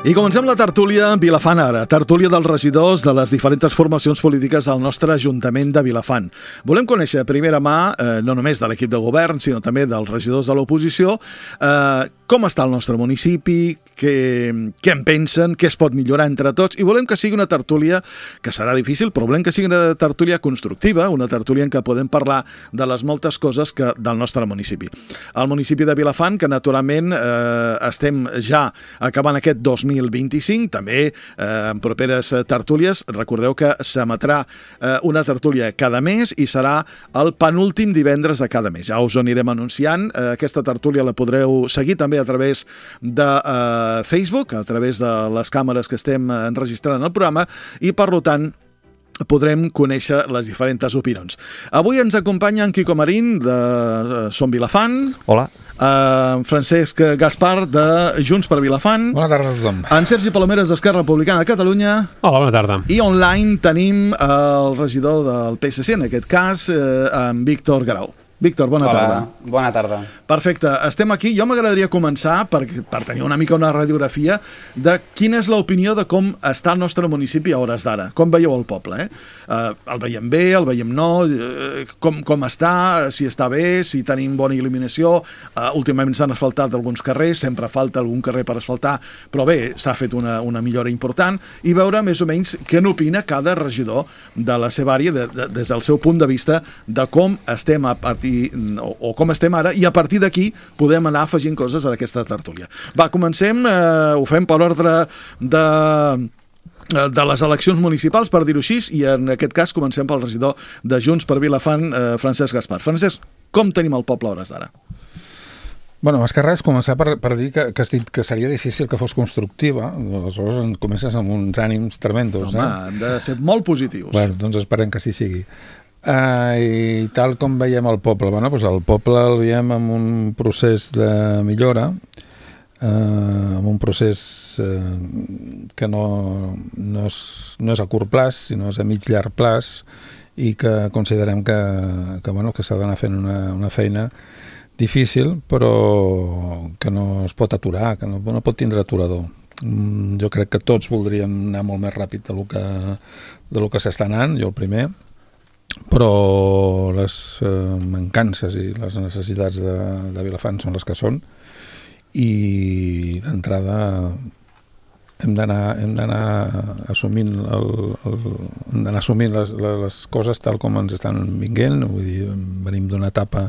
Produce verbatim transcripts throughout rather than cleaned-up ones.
I comencem la tertúlia Vilafant Ara, tertúlia dels regidors de les diferents formacions polítiques del nostre Ajuntament de Vilafant. Volem conèixer a primera mà, eh, no només de l'equip de govern, sinó també dels regidors de l'oposició, eh, com està el nostre municipi, què, què en pensen, què es pot millorar entre tots, i volem que sigui una tertúlia, que serà difícil, però volem que sigui una tertúlia constructiva, una tertúlia en què podem parlar de les moltes coses que, del nostre municipi. El municipi de Vilafant, que naturalment eh, estem ja acabant aquest dos mil vint-i-cinc, també eh, en properes tertúlies. Recordeu que s'emetrà eh, una tertúlia cada mes i serà el penúltim divendres de cada mes. Ja us ho anirem anunciant. Eh, aquesta tertúlia la podreu seguir també a través de eh, Facebook, a través de les càmeres que estem enregistrant el programa, i per tant podrem conèixer les diferents opinions. Avui ens acompanya en Quico Marín, de Som Vilafant. Hola. Uh, Francesc Gaspar, de Junts per Vilafant. Bona tarda a tothom. En Sergi Palomeres, d'Esquerra Republicana de Catalunya. Hola, bona tarda. I online tenim el regidor del P S C, en aquest cas, eh, en Víctor Grau. Víctor, bona Hola, tarda. Bona tarda. Perfecte, estem aquí. Jo m'agradaria començar per, per tenir una mica una radiografia de quina és l'opinió de com està el nostre municipi a hores d'ara. Com veieu el poble, eh? Uh, el veiem bé, el veiem no, uh, com, com està, si està bé, si tenim bona il·luminació. Uh, últimament s'han asfaltat alguns carrers, sempre falta algun carrer per asfaltar, però bé, s'ha fet una, una millora important, i veure més o menys què n'opina cada regidor de la seva àrea de, de, des del seu punt de vista de com estem a partir O, o com estem ara, i a partir d'aquí podem anar afegint coses a aquesta tertúlia. Va, comencem, eh, ho fem per ordre de, de les eleccions municipals, per dir-ho així, i en aquest cas comencem pel regidor de Junts per Vilafant, eh, Francesc Gaspar. Francesc, com tenim el poble a hores d'ara? Bueno, més que res, començar per, per dir que, que, que seria difícil que fos constructiva. Aleshores comences amb uns ànims tremendos. Home, eh? hem de ser molt positius. Bueno, doncs esperem que sí sigui. Uh, i tal com veiem el poble, bueno, doncs el poble el veiem en un procés de millora, uh, en un procés uh, que no, no, és, no és a curt plaç, sinó és a mig llarg plaç, i que considerem que, que, bueno, que s'ha d'anar fent una, una feina difícil, però que no es pot aturar, que no, no pot tindre aturador. Mm, jo crec que tots voldríem anar molt més ràpid de lo que, de lo que s'està anant, jo el primer, però les eh, mancances i les necessitats de, de Vilafant són les que són, i d'entrada hem d'anar hem d'anar assumint el, el, hem d'anar assumint les, les coses tal com ens estan vinguent. Vull dir, venim d'una etapa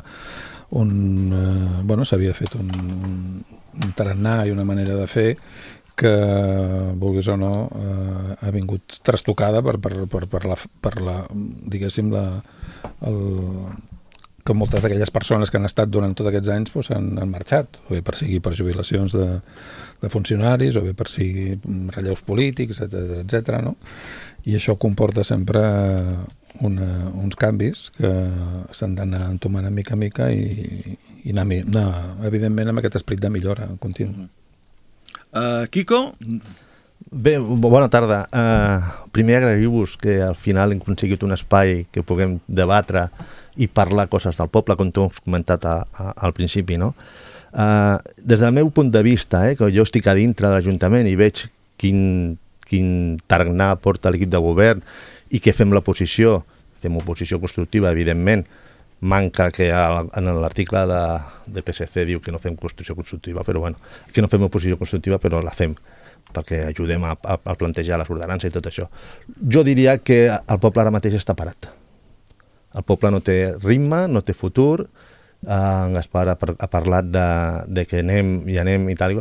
on eh, bueno, s'havia fet un, un tarannà i una manera de fer que, vulguis o no, eh, ha vingut trastocada per, per, per, per, la, per la, diguéssim, la, el, que moltes d'aquelles persones que han estat durant tots aquests anys pues, han, han marxat, o bé per sigui per jubilacions de, de funcionaris, o bé per sigui relleus polítics, etcètera, etcètera, no? I això comporta sempre una, uns canvis que s'han d'anar entomant a mica a mica i, i anar, anar, evidentment, amb aquest esperit de millora continu. Uh, Quico? Bé, bona tarda. Uh, primer agrair-vos que al final hem aconseguit un espai que puguem debatre i parlar coses del poble, com tu has comentat a, a, al principi, no? Uh, des del meu punt de vista, eh, que jo estic a dintre de l'Ajuntament i veig quin, quin tarannà porta l'equip de govern i que fem l'oposició, fem oposició constructiva, evidentment. Manca que en l'article de, de P S C diu que no fem construcció constructiva, però bueno, que no fem oposició constructiva, però la fem perquè ajudem a, a, a plantejar les ordenances i tot això. Jo diria que el poble ara mateix està parat. El poble no té ritme, no té futur. En Gaspar ha, ha parlat de, de que anem i anem i tal.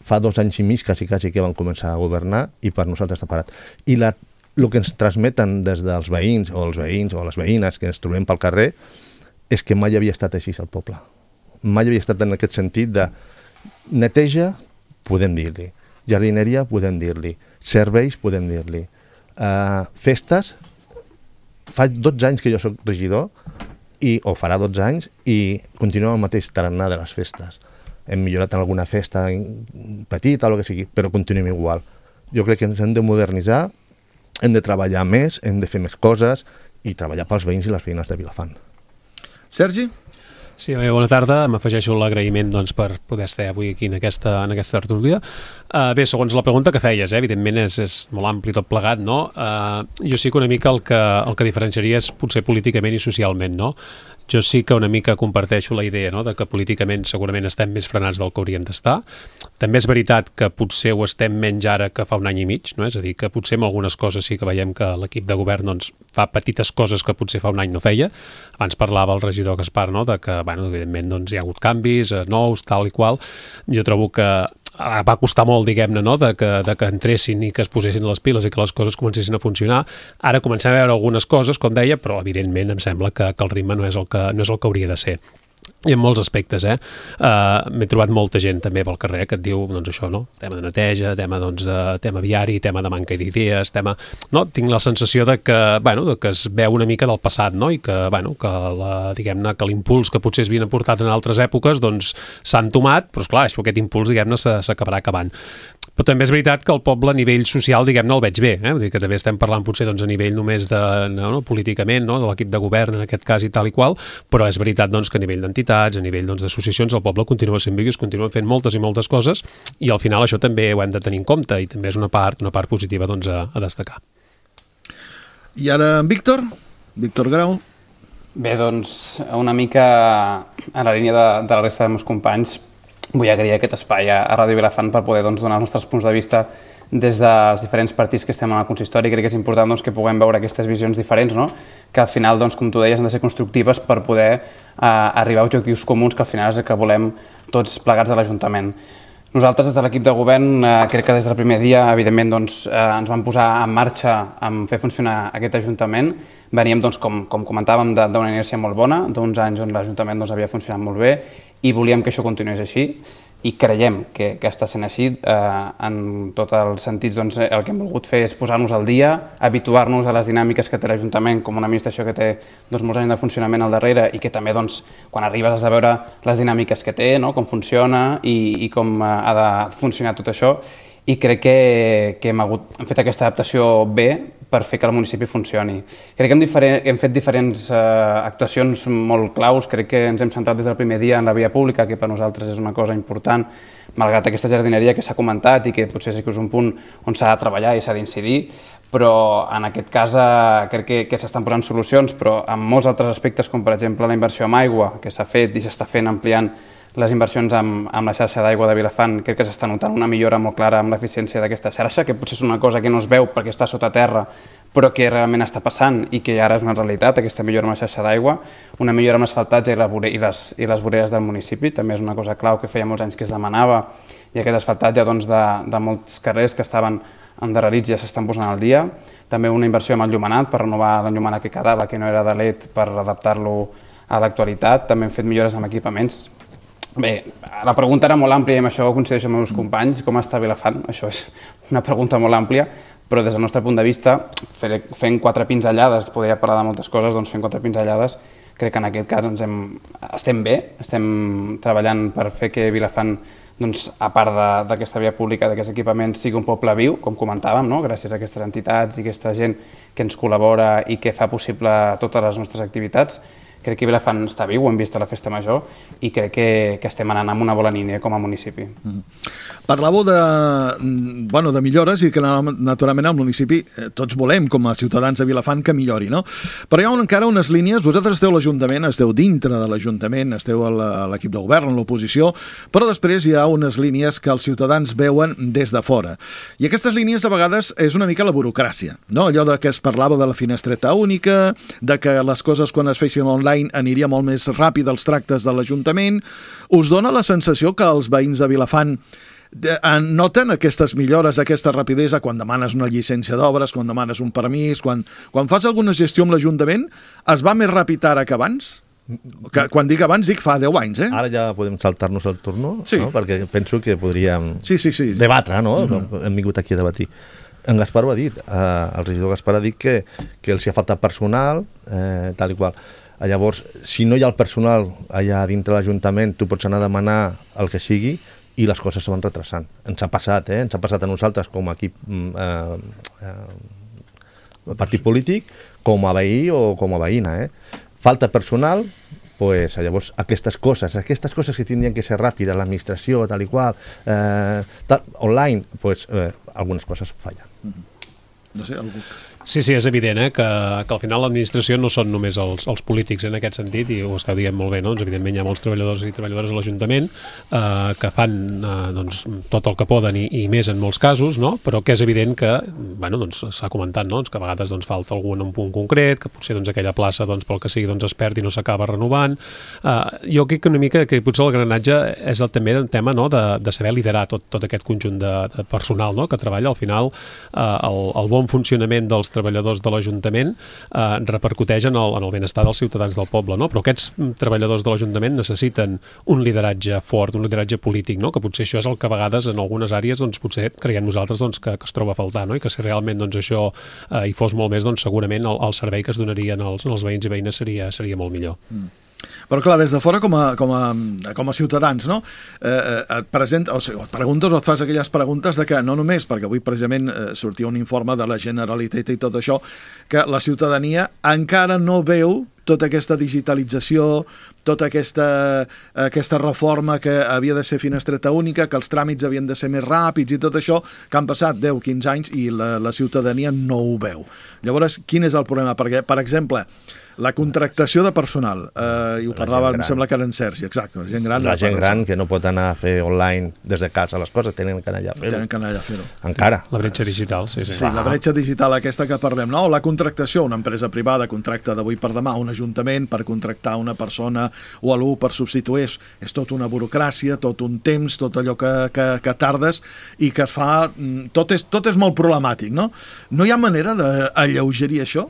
Fa dos anys i mig quasi, quasi que van començar a governar i per nosaltres està parat. I la, el que ens transmeten des dels veïns o els veïns o les veïnes que ens trobem pel carrer és que mai havia estat així al poble. Mai havia estat en aquest sentit de neteja, podem dir-li, jardineria, podem dir-li, serveis, podem dir-li, uh, festes. Fa dotze anys que jo soc regidor, i, o farà dotze anys, i continuem el mateix tarannà de les festes. Hem millorat en alguna festa petita o el que sigui, però continuem igual. Jo crec que ens hem de modernitzar, hem de treballar més, hem de fer més coses i treballar pels veïns i les veïnes de Vilafant. Sergi? Sí, bé, bona tarda. M'afegeixo l'agraïment doncs, per poder estar avui aquí en aquesta, en aquesta tertúlia. Uh, bé, segons la pregunta que feies, eh, evidentment és, és molt ampli tot plegat, no? Uh, jo sí que una mica el que, el que diferenciaria és potser políticament i socialment, no? Jo sí que una mica comparteixo la idea, no?, de que políticament segurament estem més frenats del que hauríem d'estar. També és veritat que potser ho estem menys ara que fa un any i mig, no? És a dir, que potser en algunes coses sí que veiem que l'equip de govern doncs, fa petites coses que potser fa un any no feia. Abans parlava el regidor Gaspar, no?, de que, bueno, evidentment doncs, hi ha hagut canvis, eh, nous, tal i qual. Jo trobo que va costar molt, diguem-ne, no?, de que, de que entressin i que es posessin les piles i que les coses comencessin a funcionar. Ara comencem a veure algunes coses, com deia, però evidentment em sembla que, que el ritme no és el que, no és el que hauria de ser. I en molts aspectes, eh? Uh, m'he trobat molta gent també pel carrer que et diu, doncs això, no? Tema de neteja, tema, doncs, de, tema viari, tema de manca d'idees, tema... No? Tinc la sensació de que, bueno, de que es veu una mica del passat, no? I que, bueno, que la, diguem-ne, que l'impuls que potser es havien aportat en altres èpoques, doncs, s'ha entomat, però, esclar, això, aquest impuls, diguem-ne, s'acabarà acabant. Però també és veritat que el poble a nivell social, diguem-ne, el veig bé, eh? Vull dir que també estem parlant potser doncs, a nivell només de, no, no, políticament, no? De l'equip de govern en aquest cas i tal i qual, però és veritat doncs, que a nivell d'entitats, a nivell doncs, d'associacions, el poble continua sent viu i es continuen fent moltes i moltes coses i al final això també ho hem de tenir en compte i també és una part, una part positiva doncs, a, a destacar. I ara en Víctor, Víctor Grau. Bé, doncs una mica a la línia de, de la resta dels meus companys, vull agrair aquest espai a Ràdio Vilafant per poder doncs, donar els nostres punts de vista des dels diferents partits que estem en el consistori. Crec que és important doncs, que puguem veure aquestes visions diferents, no? Que al final, doncs, com tu deies, han de ser constructives per poder eh, arribar a objectius comuns, que al final és el que volem tots plegats a l'Ajuntament. Nosaltres, des de l'equip de govern, eh, crec que des del primer dia, evidentment, doncs, eh, ens vam posar en marxa en fer funcionar aquest Ajuntament. Veníem, doncs, com, com comentàvem, d'una inèrcia molt bona, d'uns anys on l'Ajuntament doncs, havia funcionat molt bé i volíem que això continués així i creiem que, que està sent així. Eh, en tots els sentits, doncs, el que hem volgut fer és posar-nos al dia, habituar-nos a les dinàmiques que té l'Ajuntament com una administració que té doncs, molts anys de funcionament al darrere i que també, doncs, quan arribes has de veure les dinàmiques que té, no? Com funciona i, i com ha de funcionar tot això. I crec que, que hem, hagut, hem fet aquesta adaptació bé per fer que el municipi funcioni. Crec que hem, diferent, hem fet diferents eh, actuacions molt claus, crec que ens hem centrat des del primer dia en la via pública, que per nosaltres és una cosa important, malgrat aquesta jardineria que s'ha comentat i que potser sí que és un punt on s'ha de treballar i s'ha d'incidir, però en aquest cas eh, crec que, que s'estan posant solucions, però en molts altres aspectes, com per exemple la inversió en aigua, que s'ha fet i s'està fent ampliant les inversions amb, amb la xarxa d'aigua de Vilafant, crec que s'està notant una millora molt clara amb l'eficiència d'aquesta xarxa, que potser és una cosa que no es veu perquè està sota terra, però que realment està passant i que ara és una realitat, aquesta millora amb la xarxa d'aigua, una millora amb l'asfaltatge i, la i, les, i les voreres del municipi, també és una cosa clau que feia molts anys que es demanava, i aquest asfaltatge doncs, de, de molts carrers que estaven endarrerits ja s'estan posant al dia, també una inversió amb l'enllumenat per renovar l'enllumenat que quedava, que no era de L E D, per adaptar-lo a l'actualitat, també hem fet millores amb equipaments. Bé, la pregunta era molt àmplia i amb això ho coincideixo amb els meus companys, com està Vilafant? Això és una pregunta molt àmplia, però des del nostre punt de vista, fent quatre pinzellades, podria parlar de moltes coses, doncs fent quatre pinzellades, crec que en aquest cas ens hem, estem bé, estem treballant per fer que Vilafant, doncs, a part d'aquesta via pública, d'aquests equipaments, sigui un poble viu, com comentàvem, no? Gràcies a aquestes entitats i aquesta gent que ens col·labora i que fa possible totes les nostres activitats. Crec que Vilafant està viu, ho hem vist a la Festa Major i crec que, que estem anant amb una bona línia com a municipi. Mm. Parlàveu de, bueno, de millores i que naturalment al municipi eh, tots volem com a ciutadans de Vilafant que millori, no? Però hi ha encara unes línies, vosaltres esteu a l'Ajuntament, esteu dintre de l'Ajuntament, esteu a l'equip de govern, a l'oposició, però després hi ha unes línies que els ciutadans veuen des de fora. I aquestes línies a vegades és una mica la burocràcia, no? Allò de que es parlava de la finestreta única, de que les coses quan es fessin online aniria molt més ràpid els tractes de l'Ajuntament. Us dona la sensació que els veïns de Vilafant noten aquestes millores, aquesta rapidesa quan demanes una llicència d'obres, quan demanes un permís, quan, quan fas alguna gestió amb l'Ajuntament, es va més ràpid ara que abans? Que, quan dic abans, dic fa deu anys, eh? Ara ja podem saltar-nos el turno, sí. No? Perquè penso que podríem sí, sí, sí. debatre, no? Mm-hmm. Hem vingut aquí a debatir. En Gaspar ho ha dit, eh, el regidor Gaspar ha dit que, que els hi ha faltat personal, eh, tal i qual. Llavors, si no hi ha el personal allà dintre l'Ajuntament, tu pots anar a demanar el que sigui i les coses se van retrasant. Ens ha passat, eh? Ens ha passat a nosaltres com a equip, eh, eh, partit polític, com a veí o com a veïna. Eh? Falta personal, pues, llavors aquestes coses, aquestes coses que tindrien que ser ràpides, l'administració, tal i qual, eh, tal, online, pues, eh, algunes coses fallen. Mm-hmm. No sé, algú... Sí, sí, és evident eh, que, que al final l'administració no són només els, els polítics en aquest sentit, i ho esteu dient molt bé, no? Doncs, evidentment hi ha molts treballadors i treballadores a l'Ajuntament eh, que fan eh, doncs, tot el que poden i, i més en molts casos, no? Però que és evident que, bueno, doncs, s'ha comentat, no? Doncs, que a vegades doncs, falta algú en un punt concret, que potser doncs, aquella plaça doncs, pel que sigui doncs, es perd i no s'acaba renovant. Eh, jo crec que una mica que potser el granatge és el, també el tema, no? de, de saber liderar tot, tot aquest conjunt de, de personal, no? Que treballa al final eh, el, el bon funcionament dels treballadors de l'Ajuntament eh, repercuteix en el, en el benestar dels ciutadans del poble, no? Però aquests treballadors de l'Ajuntament necessiten un lideratge fort, un lideratge polític, no? Que potser això és el que a vegades en algunes àrees doncs, potser creiem nosaltres doncs, que, que es troba a faltar, no? I que si realment doncs, això eh, hi fos molt més, doncs, segurament el, el servei que es donarien als, als veïns i veïnes seria, seria molt millor. Mm. Però clar, des de fora com a, com a, com a ciutadans, no? Eh, et presenta, o sigui, et preguntes o et fas aquelles preguntes de que no només, perquè avui precisament eh, sortia un informe de la Generalitat i tot això, que la ciutadania encara no veu tota aquesta digitalització, tota aquesta, aquesta reforma que havia de ser finestreta única, que els tràmits havien de ser més ràpids i tot això, que han passat deu o quinze anys i la, la ciutadania no ho veu. Llavors, quin és el problema? Perquè, per exemple, la contractació de personal, eh, i ho parlava, em sembla que era en Sergi, exacte, la gent gran. La gent gran que no pot anar a fer online des de casa les coses, tenen que anar allà a fer-ho. Tenen que anar allà a fer-ho. Encara. La bretxa digital, sí, sí. Sí, la bretxa digital aquesta que parlem, no? O la contractació, una empresa privada contracta d'avui per demà un ajuntament per contractar una persona o algú per substituir, és, és tot una burocràcia, tot un temps, tot allò que, que, que tardes i que es fa... Tot és, tot és molt problemàtic, no? No hi ha manera d'alleugerir això?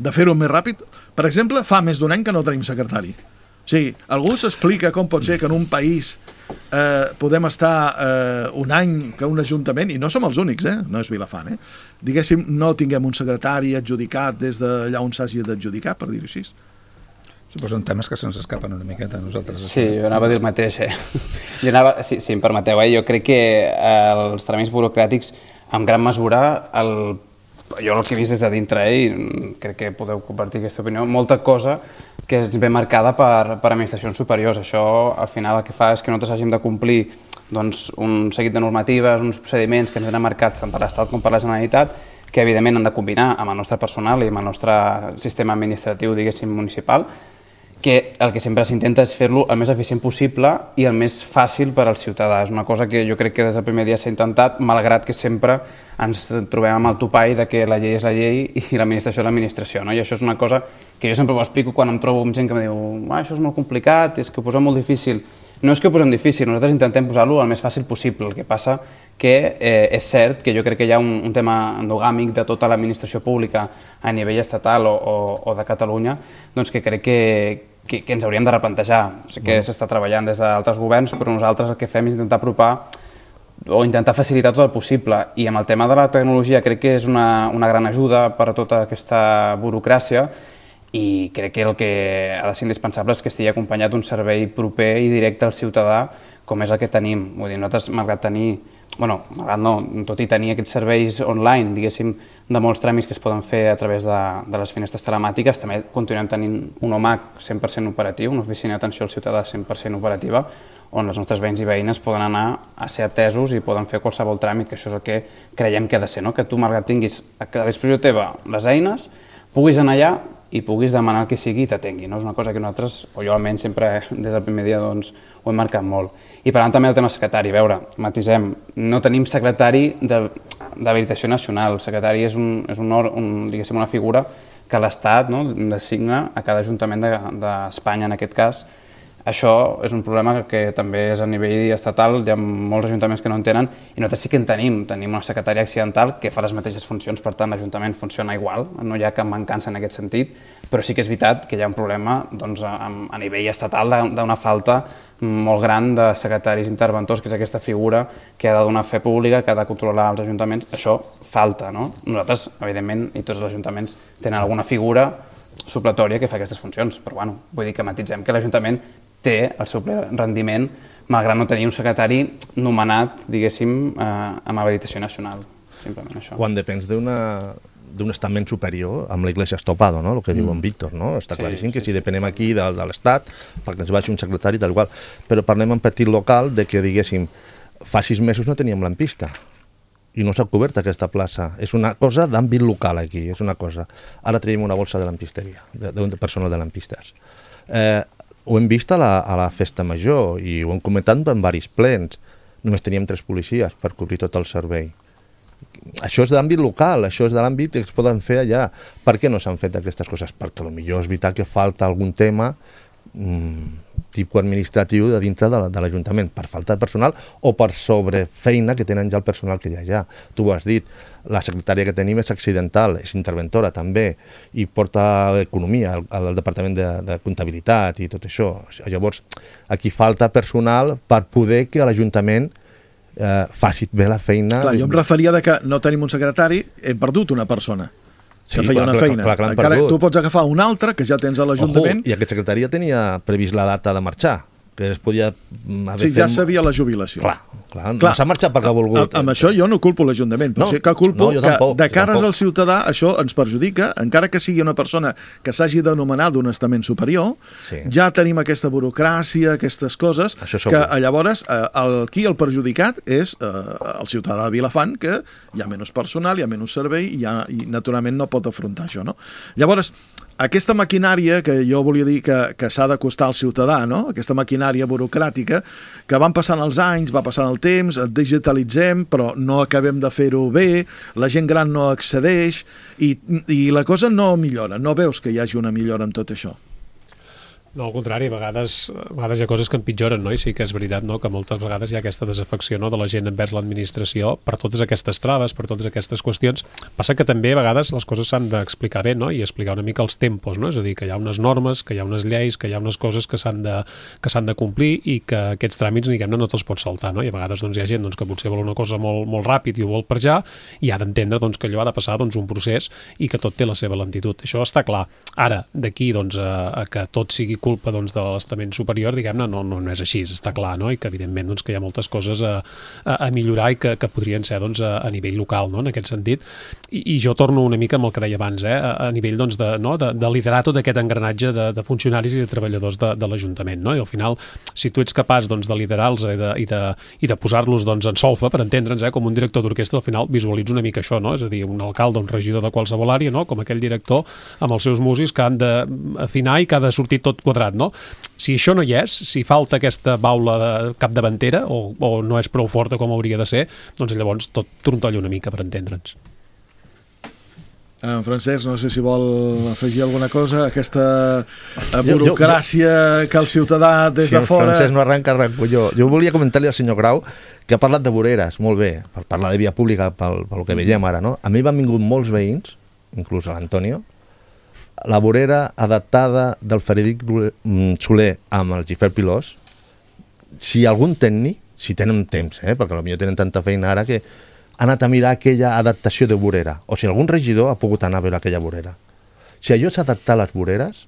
De fer-ho més ràpid? Per exemple, fa més d'un any que no tenim secretari. O sigui, algú s'explica com pot ser que en un país eh, podem estar eh, un any que un ajuntament, i no som els únics, eh? No és Vilafant, eh? Diguéssim, no tinguem un secretari adjudicat des d'allà on s'hagi d'adjudicar, per dir-ho així. Sí, però són temes que se'ns escapen una miqueta a nosaltres. Sí, jo anava a dir el mateix, eh? Jo anava, si, si em permeteu, eh? Jo crec que eh, els tràmits burocràtics, en gran mesura, el jo el que he vist des de dintre, eh, i crec que podeu compartir aquesta opinió, molta cosa que és ben marcada per, per administracions superiors. Això, al final, el que fa és que nosaltres hàgim de complir doncs, un seguit de normatives, uns procediments que ens venen marcats tant per l'Estat com per la Generalitat, que evidentment han de combinar amb el nostre personal i amb el nostre sistema administratiu, diguéssim, municipal, que el que sempre s'intenta és fer-lo el més eficient possible i el més fàcil per al ciutadà. És una cosa que jo crec que des del primer dia s'ha intentat, malgrat que sempre ens trobem amb el topall de que la llei és la llei i l'administració és l'administració, no? I això és una cosa que jo sempre ho explico quan em trobo amb gent que em diu ah, això és molt complicat, és que ho posem molt difícil. No és que ho posem difícil, nosaltres intentem posar-lo el més fàcil possible. El que passa que eh, és cert que jo crec que hi ha un, un tema endogàmic de tota l'administració pública a nivell estatal o, o, o de Catalunya, doncs que crec que, que, que ens hauríem de replantejar. Sé que s'està treballant des d'altres governs, però nosaltres el que fem és intentar apropar o intentar facilitar tot el possible. I amb el tema de la tecnologia crec que és una, una gran ajuda per a tota aquesta burocràcia, i crec que el que ha de ser indispensable és que estigui acompanyat d'un servei proper i directe al ciutadà com és el que tenim. Vull dir, nosaltres, malgrat tenir, bueno, malgrat no, tot i tenir aquests serveis online, diguéssim, de molts tràmits que es poden fer a través de, de les finestres telemàtiques, també continuem tenint un O M A C cent per cent operatiu, una oficina d'atenció al ciutadà cent per cent operativa, on els nostres veïns i veïnes poden anar a ser atesos i poden fer qualsevol tràmit, que això és el que creiem que ha de ser, no? Que tu, malgrat tinguis a disposició teva les eines, puguis anar allà i puguis demanar el que sigui i t'atengui, no? És una cosa que nosaltres, o jo almenys sempre des del primer dia, doncs, ho hem marcat molt. I parlant també del tema secretari, a veure, matisem, no tenim secretari d'habilitació nacional. El secretari és, un, és un, un, diguéssim, una figura que l'Estat, no, designa a cada ajuntament d'Espanya, en aquest cas. Això és un problema que també és a nivell estatal, hi ha molts ajuntaments que no en tenen, i nosaltres sí que en tenim. Tenim una secretària accidental que fa les mateixes funcions, per tant l'Ajuntament funciona igual, no hi ha cap mancança en aquest sentit, però sí que és veritat que hi ha un problema doncs, a, a nivell estatal d'una falta molt gran de secretaris interventors, que és aquesta figura que ha de donar fe pública, que ha de controlar els ajuntaments. Això falta, no? Nosaltres, evidentment, i tots els ajuntaments tenen alguna figura supletòria que fa aquestes funcions, però bueno, vull dir que matitzem que l'Ajuntament té el seu ple rendiment, malgrat no tenir un secretari nomenat, diguéssim, eh, amb habilitació nacional. Simplement això. Quan depens d'una d'un estament superior amb l'Iglesia estopado, no? El que mm. diu en Víctor, no? Està sí, claríssim sí, que si depenem aquí de, de l'Estat perquè ens baixi un secretari tal qual, però parlem en petit local de que diguéssim fa sis mesos no teníem lampista i no s'ha cobert aquesta plaça. És una cosa d'àmbit local aquí, és una cosa. Ara tenim una bolsa de lampisteria, d'un personal de lampistes. Eh, ho hem vist a la, a la festa major i ho hem comentat en diversos plens. Només teníem tres policies per cobrir tot el servei. Això és d'àmbit local, això és de l'àmbit que es poden fer allà. Per què no s'han fet aquestes coses? Perquè potser és veritat que falta algun tema mmm, tipus administratiu de dintre de l'Ajuntament, per falta de personal o per sobrefeina que tenen ja el personal que hi ha allà. Tu ho has dit, la secretària que tenim és accidental, és interventora també, i porta economia al, al departament de, de comptabilitat i tot això. Llavors, aquí falta personal per poder que l'Ajuntament eh, faci bé la feina. Clar, jo em referia de que no tenim un secretari, hem perdut una persona. Que sí, feia clar, una feina. Clar, clar, encara tu pots agafar un altre que ja tens a l'Ajuntament. I aquest secretari ja tenia previst la data de marxar, que es podia haver sí, fet... ja sabia la jubilació. Clar, clar, clar. No s'ha marxat perquè ha volgut. Amb, amb això jo no culpo l'Ajuntament, però no, sí que culpo no, que tampoc, de cares al ciutadà això ens perjudica, encara que sigui una persona que s'hagi d'anomenar d'un estament superior, sí. Ja tenim aquesta burocràcia, aquestes coses, que llavors eh, el, qui el perjudicat és eh, el ciutadà de Vilafant, que hi ha menys personal, hi ha menys servei i, ha, i naturalment no pot afrontar això, no? Llavors, aquesta maquinària que jo volia dir que, que s'ha d'acostar al ciutadà, no? Aquesta maquinària burocràtica, que van passant els anys, va passant el temps, et digitalitzem, però no acabem de fer-ho bé, la gent gran no accedeix i, i la cosa no millora. No veus que hi hagi una millora en tot això? No, al contrari, a vegades, a vegades hi ha coses que empitjoren, no? I sí que és veritat, no?, que moltes vegades hi ha aquesta desafecció, no?, de la gent envers l'administració per totes aquestes traves, per totes aquestes qüestions. Passa que també a vegades les coses s'han d'explicar bé, no?, i explicar una mica els tempos, no?, és a dir, que hi ha unes normes, que hi ha unes lleis, que hi ha unes coses que s'han de, que s'han de complir i que aquests tràmits, diguem-ne, no te'ls pots saltar, no?, i a vegades doncs, hi ha gent doncs, que potser vol una cosa molt, molt ràpid i ho vol per ja, i ha d'entendre doncs, que allò ha de passar doncs, un procés i que tot té la seva lentitud. Això està clar. Ara, d'aquí doncs, a, a que tot sigui culpa doncs, de l'estament superior, diguem-ne, no, no, no és així, està clar, no? I que evidentment doncs, que hi ha moltes coses a, a, a millorar i que, que podrien ser doncs, a, a nivell local, no?, en aquest sentit. I, i jo torno una mica amb el que deia abans, eh? a, a nivell doncs, de, no? de, de liderar tot aquest engranatge de, de funcionaris i de treballadors de, de l'Ajuntament, no? I al final, si tu ets capaç doncs, de liderar-los i de, i de, i de posar-los doncs, en solfa, per entendre'ns, eh? com un director d'orquestra, al final visualitza una mica això, no? És a dir, un alcalde, un regidor de qualsevol àrea, no? Com aquell director amb els seus músics que han d'afinar i que ha de sortir tot quadrat, no? Si això no hi és, si falta aquesta baula capdavantera o, o no és prou forta com hauria de ser, doncs llavors tot trontolla una mica, per entendre'ns. En Francesc, no sé si vol afegir alguna cosa, aquesta burocràcia jo, jo, que el ciutadà des si de fora... Si Francesc no arranca, arranco jo. Jo volia comentar-li al senyor Grau que ha parlat de voreres, molt bé, per parlar de via pública, pel, pel que veiem ara, no? A mi m'han vingut molts veïns, inclús a l'Antonio, la vorera adaptada del Frederic Soler amb el Gifert Pilós, si algun tècnic, si tenen temps, eh, perquè potser tenen tanta feina ara que ha anat a mirar aquella adaptació de vorera, o si algun regidor ha pogut anar a veure aquella vorera. Si allò s'ha adaptat a les voreres,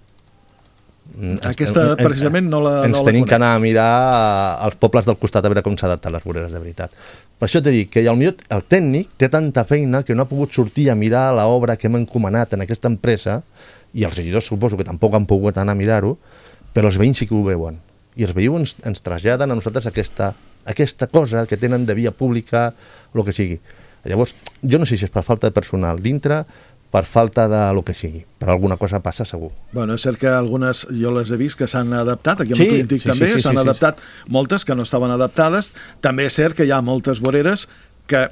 aquesta ens, precisament no la ens no tenim que anar a mirar als pobles del costat a veure com s'adapten les voreres de veritat. Per això t'he dit que el, el tècnic té tanta feina que no ha pogut sortir a mirar l'obra que hem encomanat en aquesta empresa, i els regidors suposo que tampoc han pogut anar a mirar-ho, però els veïns sí que ho veuen. I els veïns ens, ens traslladen a nosaltres aquesta, aquesta cosa que tenen de via pública, el que sigui. Llavors, jo no sé si és per falta de personal dintre, per falta de lo que sigui, però alguna cosa passa segur. Bueno, és cert que algunes, jo les he vist que s'han adaptat, aquí amb sí, el Clínic sí, també, s'han sí, sí, sí, adaptat sí. moltes que no estaven adaptades, també és cert que hi ha moltes voreres que